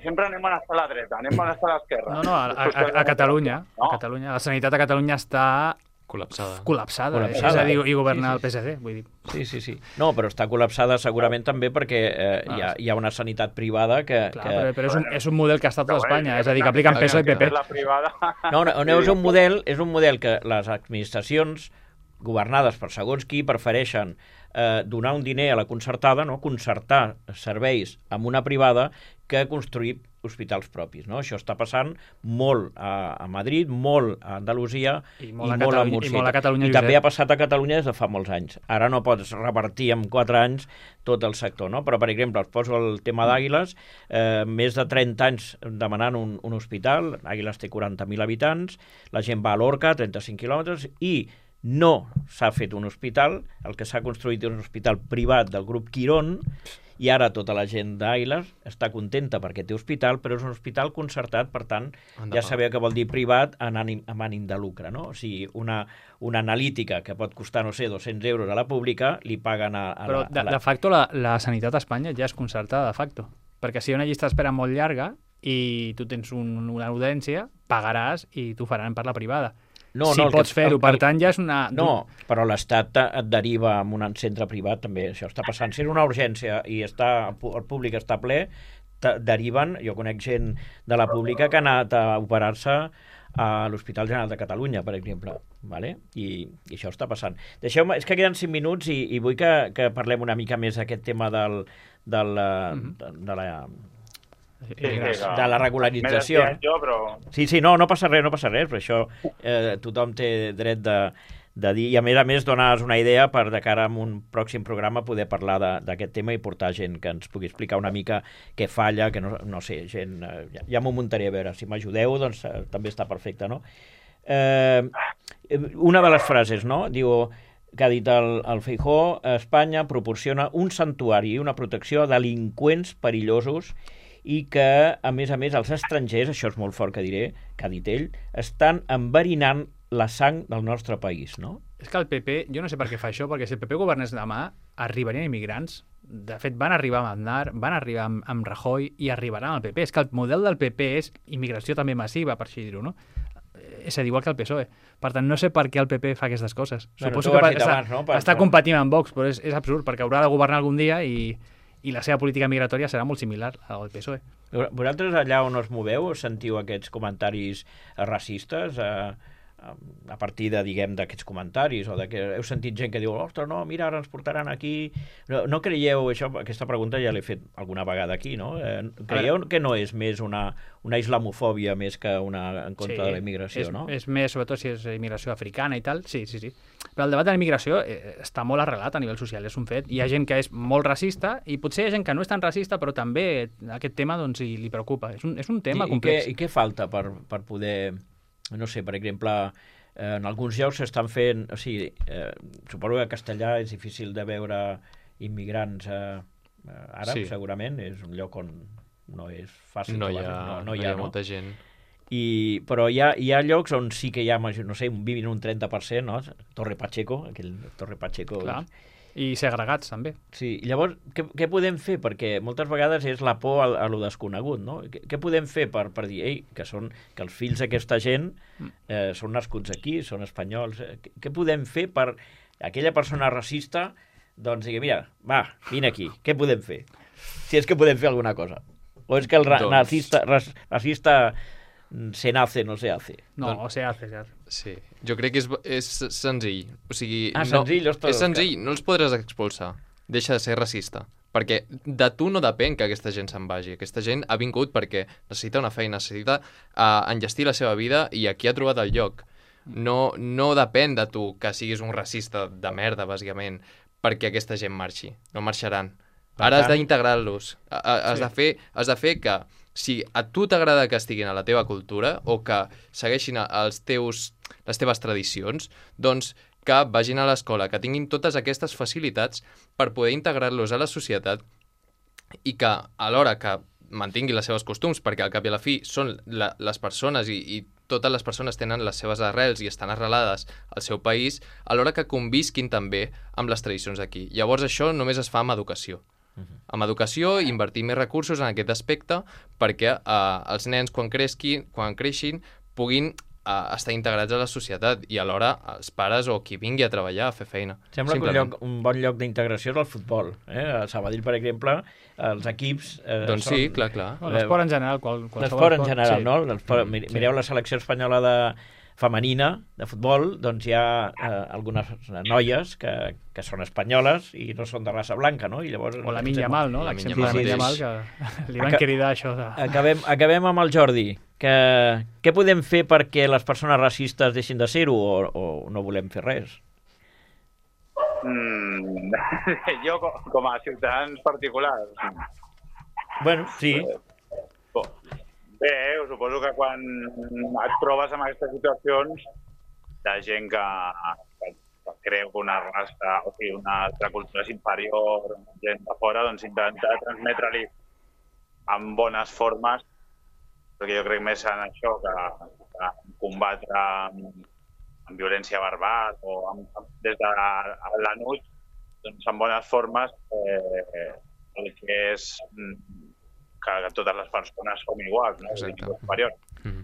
sempre anem a estar a la dreta, anem a estar a l'esquerra. No, a Catalunya. A Catalunya. La sanitat a Catalunya està... Col·lapsada. És a dir, i governa el PSC, vull dir. Sí. No, però està col·lapsada segurament també perquè hi ha una sanitat privada que... Clar, però és un model que ha estat a Espanya, és a dir, que apliquen PSOE i PP. No, és un model que les administracions governades per segons qui prefereixen donar un diner a la concertada, no? Concertar serveis amb una privada que construir hospitals propis, no? Això està passant molt a Madrid, molt a Andalusia i molt a Múrcia. I molt a Catalunya. I també ha passat a Catalunya des de fa molts anys. Ara no pots revertir en 4 anys tot el sector, no? Però, per exemple, us poso el tema d'Àguiles, més de 30 anys demanant un hospital, Àguiles té 40.000 habitants, la gent va a Lorca, 35 quilòmetres, i no s'ha fet un hospital, el que s'ha construït és un hospital privat del grup Quirón, i ara tota la gent d'Àguiles està contenta perquè té hospital, però és un hospital concertat, per tant, ja sabeu què vol dir privat amb ànim de lucre, no? O sigui, una analítica que pot costar, no sé, 200 euros a la pública, li paguen a però, de facto, la sanitat a Espanya ja és concertada, de facto. Perquè si hi ha una llista d'espera molt llarga i tu tens una audiència, pagaràs i t'ho faran per la privada. Si pots fer-ho, per tant, ja és una... No, però l'Estat et deriva en un centre privat, també. Això està passant. Si és una urgència i el públic està ple, deriven... Jo conec gent de la pública que ha anat a operar-se a l'Hospital General de Catalunya, per exemple. Vale? I això està passant. Deixeu-me... És que queden 5 minuts i vull que parlem una mica més d'aquest tema de la regularització. Sí, no passa res, però això tothom té dret de dir, i a més donar una idea per de cara a un pròxim programa poder parlar d'aquest tema i portar gent que ens pugui explicar una mica què falla, que no sé, gent... Ja m'ho muntaré a veure, si m'ajudeu, doncs també està perfecte, no? Una de les frases, no? Diu que ha dit el Feijóo, Espanya proporciona un santuari i una protecció a delinqüents perillosos i que, a més, els estrangers, això és molt fort que diré, que ha dit ell, estan enverinant la sang del nostre país, no? És que el PP, jo no sé per què fa això, perquè si el PP governés demà, arribarien immigrants. De fet, van arribar amb Aznar, van arribar amb Rajoy i arribaran al PP. És que el model del PP és immigració també massiva, per així dir-ho, no? És a dir, igual que el PSOE. Per tant, no sé per què el PP fa aquestes coses. Bueno, Suposo que està per... competint amb Vox, però és absurd, perquè haurà de governar algun dia i la seva política migratòria serà molt similar al PSOE. Vosaltres allà on us moveu sentiu aquests comentaris racistes a partir de, diguem, d'aquests comentaris o de que heu sentit gent que diu ostres, no, mira, ara ens portaran aquí... No creieu, aquesta pregunta ja l'he fet alguna vegada aquí, no? Creieu que no és més una islamofòbia més que una en contra de la immigració, no? És més, sobretot si és immigració africana i tal, sí. Però el debat de la immigració està molt arrelat a nivell social, és un fet. Hi ha gent que és molt racista i potser hi ha gent que no és tan racista, però també aquest tema doncs, li preocupa. És un tema complex. I què falta per poder... No sé, per exemple, en alguns llocs s'estan fent... O sigui, suposo que a Castellà és difícil de veure immigrants àrabs, sí. Segurament. És un lloc on no és fàcil. No hi ha molta gent. Però hi ha llocs on sí que hi ha, no sé, un 20 o un 30%, no? Torre Pacheco, aquell Torre Pacheco... Clar. I segregats, també. Sí, llavors, què podem fer? Perquè moltes vegades és la por a lo desconegut, no? Què podem fer per dir, que els fills d'aquesta gent són nascuts aquí, són espanyols? Què podem fer per aquella persona racista, doncs, digui, mira, va, vine aquí, què podem fer? Si és que podem fer alguna cosa. O és que el racista se nace, no se hace. No, o se hace, ja. Sí, jo crec que és senzill. O sigui, senzill, és senzill, no els podràs expulsar. Deixa de ser racista. Perquè de tu no depèn que aquesta gent se'n vagi. Aquesta gent ha vingut perquè necessita una feina, necessita enllestir la seva vida i aquí ha trobat el lloc. No depèn de tu que siguis un racista de merda, bàsicament, perquè aquesta gent marxi. No marxaran. Ara has d'integrar-los. Has de fer que si a tu t'agrada que estiguin a la teva cultura o que segueixin les teves tradicions, doncs que vagin a l'escola, que tinguin totes aquestes facilitats per poder integrar-los a la societat i que alhora que mantinguin les seves costums, perquè al cap i a la fi són les persones i totes les persones tenen les seves arrels i estan arrelades al seu país, alhora que convisquin també amb les tradicions d'aquí. Llavors això només es fa amb educació. Amb educació, invertir més recursos en aquest aspecte perquè els nens quan creixin puguin estar integrats a la societat i alhora els pares o qui vingui a treballar, a fer feina. Sembla que un bon lloc d'integració és el futbol. A Sabadell, per exemple, els equips... Doncs sí, clar. L'esport en general. L'esport en general, no? Mireu la selecció espanyola femenina de futbol, doncs hi ha algunes noies que són espanyoles i no són de raça blanca, no? I llavors, o la Yamal, no? L'exemple de la Yamal, que li van cridar això de... Acabem amb el Jordi. Què podem fer perquè les persones racistes deixin de ser-ho o no volem fer res? Jo, com a ciutadans particulars... Bueno, sí. Bé, suposo que quan et trobes en aquestes situacions de gent que creu que una raça, o sigui, una altra cultura és inferior, gent de fora, doncs intenta transmetre-li en bones formes, perquè jo crec més en això que combatre amb violència verbal o des de l'anut, doncs en bones formes el que és que totes les persones som iguals, no?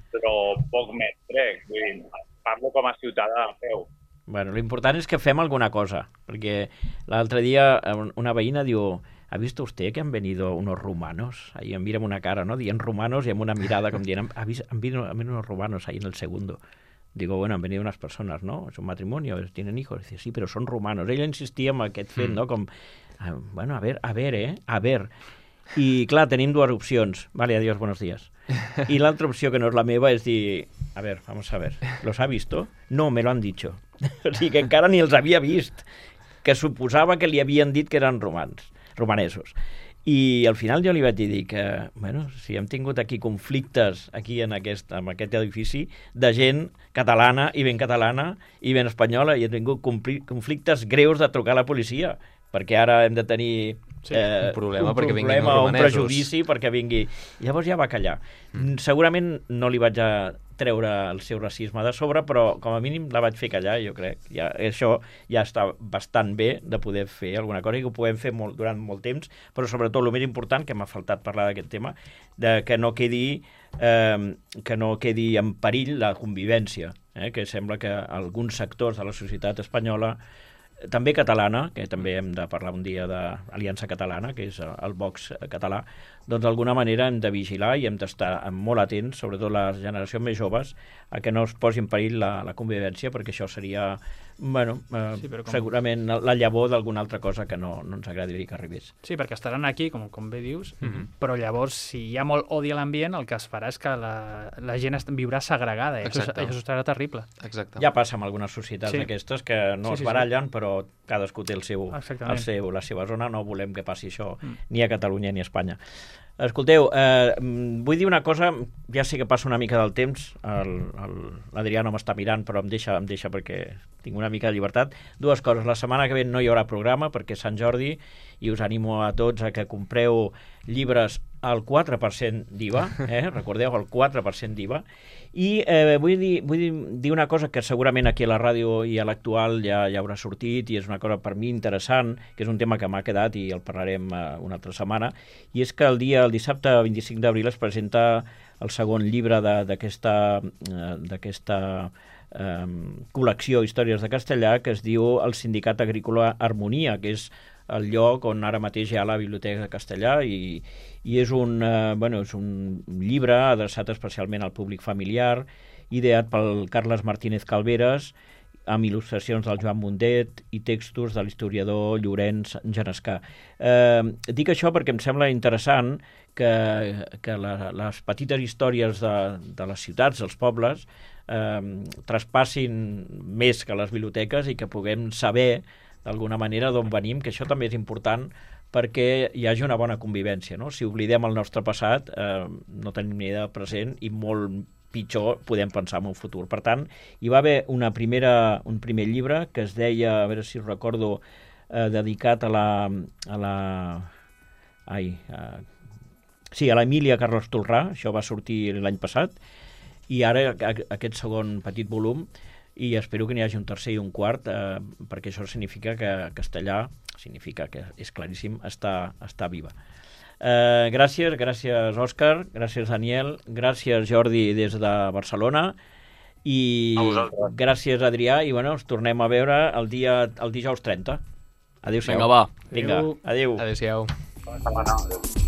Però poc més crec, vull dir, parlo com a ciutadà a peu. Bueno, l'important és que fem alguna cosa, perquè l'altre dia una veïna diu, ¿ha visto usted que han venido unos rumanos? Ahí em mira amb una cara, ¿no? Dient rumanos y amb una mirada com dient, han venido unos rumanos ahí en el segundo. Digo, bueno, han venido unas personas, ¿no? Es un matrimonio, tienen hijos. Dice, sí, pero son rumanos. Ella insistia en aquest fet, no? Com, bueno, a ver. I, clar, tenim dues opcions. Vale, adiós, buenos días. I l'altra opció, que no és la meva, és dir, a ver, vamos a ver, ¿los ha visto? No, me lo han dicho. O sigui, que encara ni els havia vist, que suposava que li havien dit que eren romanesos. I al final jo li vaig dir que, bueno, si hem tingut aquí conflictes aquí en aquest edifici de gent catalana i ben espanyola i hem tingut conflictes greus de trucar a la policia, perquè ara hem de tenir Sí, un problema perquè vinguin problema o un romanesos. prejudici perquè vingui. Llavors ja va callar. Segurament no li vaig a treure el seu racisme de sobre, però com a mínim la vaig fer callar, jo crec. Això ja està bastant bé de poder fer alguna cosa i que ho podem fer durant molt temps, però sobretot el més important, que m'ha faltat parlar d'aquest tema, que no quedi en perill la convivència, que sembla que alguns sectors de la societat espanyola, també catalana, que també hem de parlar un dia d'Aliança Catalana, que és el Vox català, doncs d'alguna manera hem de vigilar i hem d'estar molt atents, sobretot les generacions més joves, a que no es posi en perill la convivència, perquè això seria, segurament la llavor d'alguna altra cosa que no ens agradaria que arribés. Sí, perquè estaran aquí, com bé dius, però llavors, si hi ha molt odi a l'ambient, el que es farà és que la gent viurà segregada, i això serà terrible. Exacte. Ja passa amb algunes societats aquestes que no es barallen, però cadascú té la seva zona, no volem que passi això ni a Catalunya ni a Espanya. Escolteu, vull dir una cosa, ja sé que passa una mica del temps, l'Adrià no m'està mirant, però em deixa perquè tinc una mica de llibertat. Dues coses, la setmana que ve no hi haurà programa perquè és Sant Jordi i us animo a tots a que compreu llibres al 4% d'IVA, recordeu, el 4% d'IVA, i vull dir una cosa que segurament aquí a la ràdio i a l'Actual ja haurà sortit i és una cosa per mi interessant, que és un tema que m'ha quedat i el parlarem una altra setmana, i és que el dissabte 25 d'abril es presenta el segon llibre d'aquesta col·lecció Històries de Castellà, que es diu El Sindicat Agrícola Harmonia, que és el lloc on ara mateix hi ha la Biblioteca de Castellà i és un llibre adreçat especialment al públic familiar, ideat pel Carles Martínez Calveras, amb il·lustracions del Joan Mundet i textos de l'historiador Llorenç Genescà. Dic això perquè em sembla interessant que les petites històries de les ciutats, dels pobles, traspassin més que les biblioteques i que puguem saber d'alguna manera d'on venim, que això també és important perquè hi hagi una bona convivència, no? Si oblidem el nostre passat, no tenim ni idea del present i molt pitjor podem pensar en un futur. Per tant, hi va haver un primer llibre que es deia, a veure si recordo, dedicat a l'Emília Carles Tolrà, això va sortir l'any passat, i ara aquest segon petit volum, i espero que n'hi hagi un tercer i un quart, perquè això significa que Castellà, significa que és claríssim, està viva. Gràcies Òscar, gràcies Daniel, gràcies Jordi des de Barcelona i gràcies Adrià i ens tornem a veure el dijous 30. Adéu-siau. Vinga, va. Vinga, adéu. Adéu-siau. Bona setmana. Adéu.